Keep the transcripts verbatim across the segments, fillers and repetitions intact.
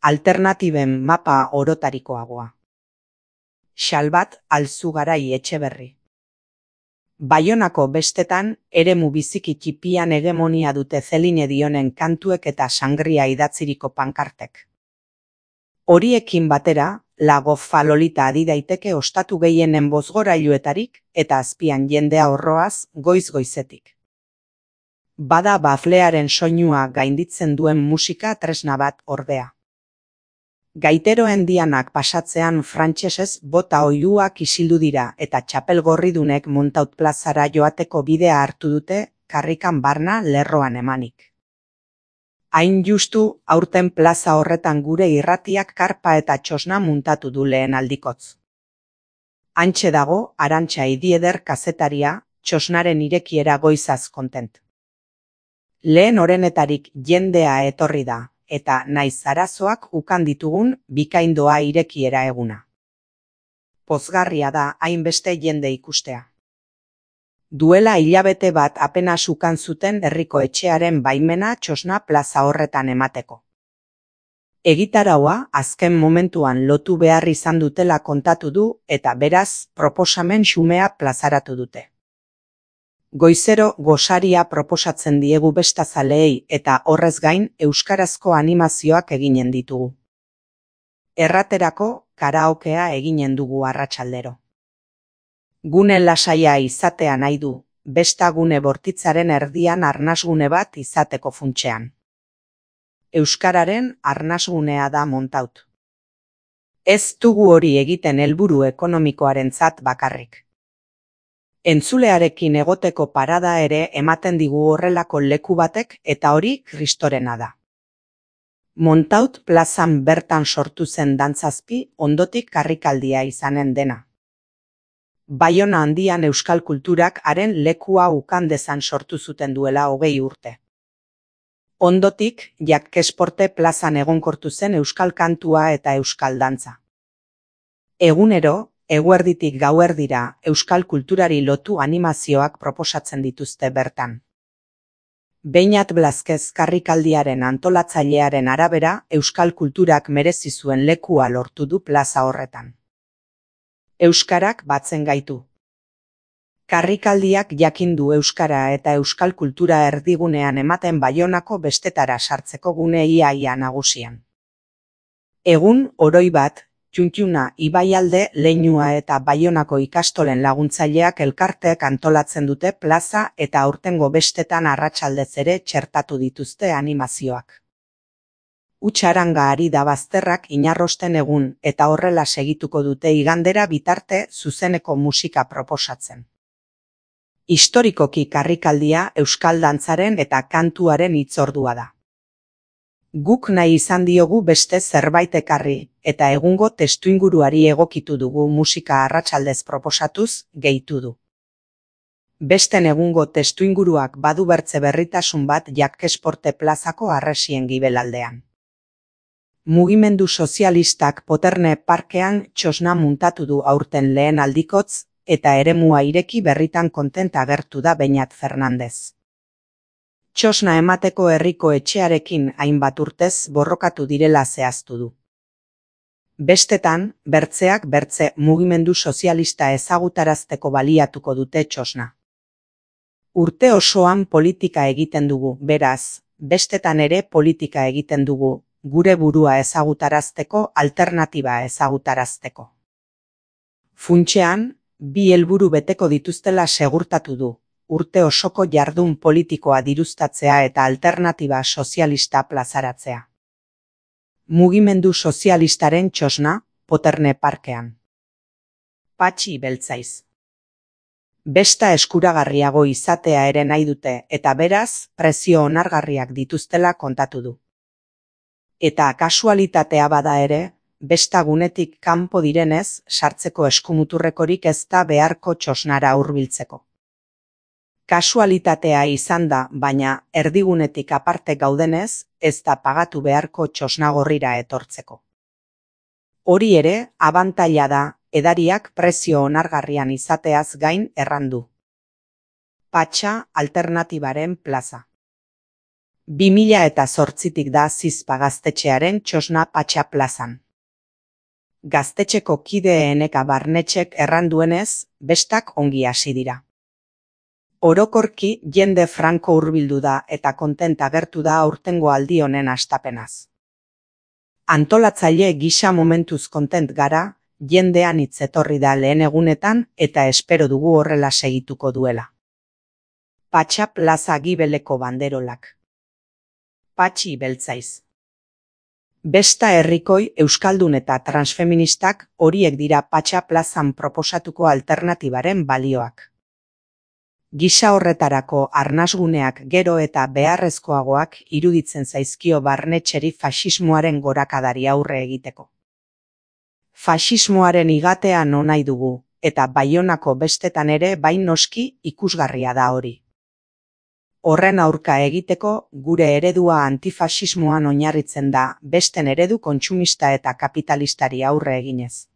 alternatiben mapa orotarikoagoa. Xalbat Alzugarai Etxeberri. Baionako bestetan, eremu biziki txipian hegemonia dute Celine Dionen kantuek eta sangria idatziriko pankartek. Horiekin batera, Lago Falolita adi daiteke ostatu gehienen bozgorailuetarik eta azpian jendea horroaz goiz-goizetik. Bada baflearen soinua gainditzen duen musika tresna bat ordea. Gaiteroen dianak pasatzean frantsesez bota oihuak isildu dira eta txapel gorridunek Montaut plazara joateko bidea hartu dute karrikan barna lerroan emanik. Hain justu aurten plaza horretan gure irratiak karpa eta txosna muntatu du lehen aldikotz. Hantxe dago Arantxa Idieder kazetaria, txosnaren irekiera goizaz kontent. Lehen orenetarik jendea etorri da, eta naiz arazoak ukan ditugun bikaindoa irekiera eguna. Pozgarria da hainbeste jende ikustea. Duela hilabete bat apenas ukan zuten herriko etxearen baimena txosna plaza horretan emateko. Egitaraua azken momentuan lotu behar izan dutela kontatu du eta beraz proposamen xumea plazaratu dute. Goizero gosaria proposatzen diegu bestazaleei eta horrez gain euskarazko animazioak eginen ditugu. Erraterako karaokea eginen dugu arratsaldero. Gune lasaia izatea nahi du, besta gune bortitzaren erdian arnasgune bat izateko funtsean. Euskararen arnasgunea da Montaut. Ez dugu hori egiten helburu ekonomikoarentzat bakarrik. Entzulearekin egoteko parada ere ematen digu horrelako leku batek eta hori kristorena da. Montaut plazan bertan sortu zen dantzazpi ondotik karrikaldia izanen dena. Baiona handian euskal kulturak haren lekua ukan dezan sortu zuten duela hogei urte. Ondotik, Jakkesporte plazan egonkortu zen euskal kantua eta euskal dantza. Egunero, eguerditik gauerdira euskal kulturari lotu animazioak proposatzen dituzte bertan. Beinat Blazquez karrikaldiaren antolatzailearen arabera, euskal kulturak merezi zuen lekua lortu du plaza horretan. Euskarak batzen gaitu. Karrikaldiak jakindu euskara eta euskal kultura erdigunean ematen Baionako bestetara sartzeko gune ia-ia nagusian. Egun oroi bat, Txuntxuna Ibaialde Leinua eta Baionako ikastolen laguntzaileak elkarteek antolatzen dute plaza eta aurtengo bestetan arratsaldez ere txertatu dituzte animazioak. Utxaranga ari da bazterrak inarrosten egun eta horrela segituko dute igandera bitarte zuzeneko musika proposatzen. Historikoki karrikaldia euskal dantzaren eta kantuaren hitzordua da. Guk nahi izan diogu beste zerbait ekarri eta egungo testuinguruari egokitu dugu musika arratsaldez proposatuz gehitu du. Besten egungo testuinguruak badu bertze berritasun bat Jakkesporte plazako harresien gibelaldean. Mugimendu sozialistak Poterne parkean txosna muntatu du aurten lehen aldikotz eta eremua ireki berritan kontent agertu da Beñat Fernandez. Txosna emateko herriko etxearekin hainbat urtez borrokatu direla zehaztu du. Bestetan, bertzeak bertze mugimendu sozialista ezagutarazteko baliatuko dute txosna. Urte osoan politika egiten dugu, beraz, bestetan ere politika egiten dugu, gure burua ezagutarazteko, alternatiba ezagutarazteko. Funtsean, bi helburu beteko dituztela segurtatu du, urte osoko jardun politikoa diruztatzea eta alternatiba sozialista plazaratzea. Mugimendu sozialistaren txosna, Poterne parkean. Patxi Beltzaiz. Besta eskuragarriago izatea ere nahi dute eta beraz, prezio onargarriak dituztela kontatu du. Eta kasualitatea bada ere, besta gunetik kanpo direnez, sartzeko eskumuturrekorik ez da beharko txosnara hurbiltzeko. Kasualitatea izan da, baina erdigunetik aparte gaudenez, ez da pagatu beharko txosnagorrira etortzeko. Hori ere, abantaila da, edariak prezio onargarrian izateaz gain errandu. Patxa alternatibaren plaza. bi mila eta zortzitik da Zizpa gaztetxearen txosna Patxa plazan. Gaztetxeko kideeneka barnetxek erranduenez, bestak ongi hasi dira. Orokorki jende franko hurbildu da eta kontenta agertu da aurtengo aldi honen hastapenaz. Antolatzaile gisa momentuz kontent gara, jendean hitz etorri da lehen egunetan eta espero dugu horrela segituko duela. Patxa plaza gibeleko banderolak. Patxi beltzaiz. Besta herrikoi, euskaldun eta transfeministak horiek dira Patxa plazan proposatuko alternatibaren balioak. Gisa horretarako arnasguneak gero eta beharrezkoagoak iruditzen zaizkio barnetxeri faxismoaren gorakadari aurre egiteko. Faxismoaren igatea nahi dugu, eta Baionako bestetan ere bain noski ikusgarria da hori. Horren aurka egiteko gure eredua antifaxismoan oinarritzen da besten eredu kontsumista eta kapitalistari aurre eginez.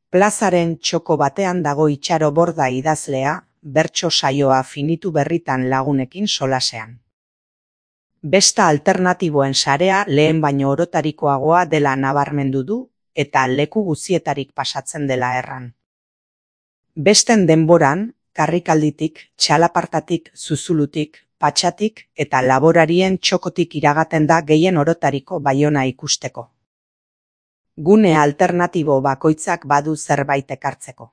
Plazaren txoko batean dago Itxaro Borda idazlea, bertso saioa finitu berritan lagunekin solasean. Besta alternatiboen sarea lehen baino orotarikoagoa dela nabarmendu du eta leku guzietarik pasatzen dela erran. Besten denboran, karrikalditik, txalapartatik, zuzulutik, patxatik eta laborarien txokotik iragaten da gehien orotariko Baiona ikusteko. Gune alternatibo bakoitzak badu zerbait ekartzeko.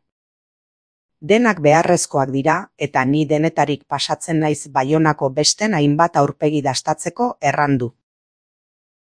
Denak beharrezkoak dira eta ni denetarik pasatzen naiz Baionako besten hainbat aurpegi dastatzeko errandu.